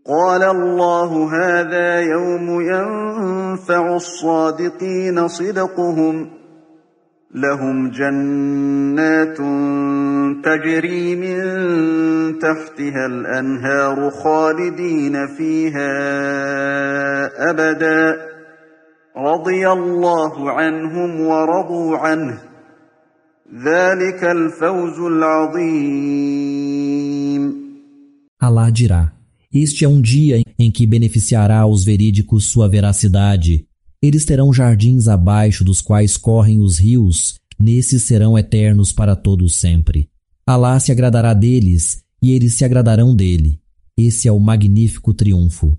قال الله هذا يوم ينفع الصادقين صدقهم لهم جنات تجري من تحتها الأنهار خالدين فيها أبدا رضي الله عنهم ورضوا عنه ذلك الفوز العظيم. Allah dirá: este é um dia em que beneficiará aos verídicos sua veracidade. Eles terão jardins abaixo dos quais correm os rios, nesses serão eternos para todos sempre. Allah se agradará deles e eles se agradarão dele. Esse é o magnífico triunfo.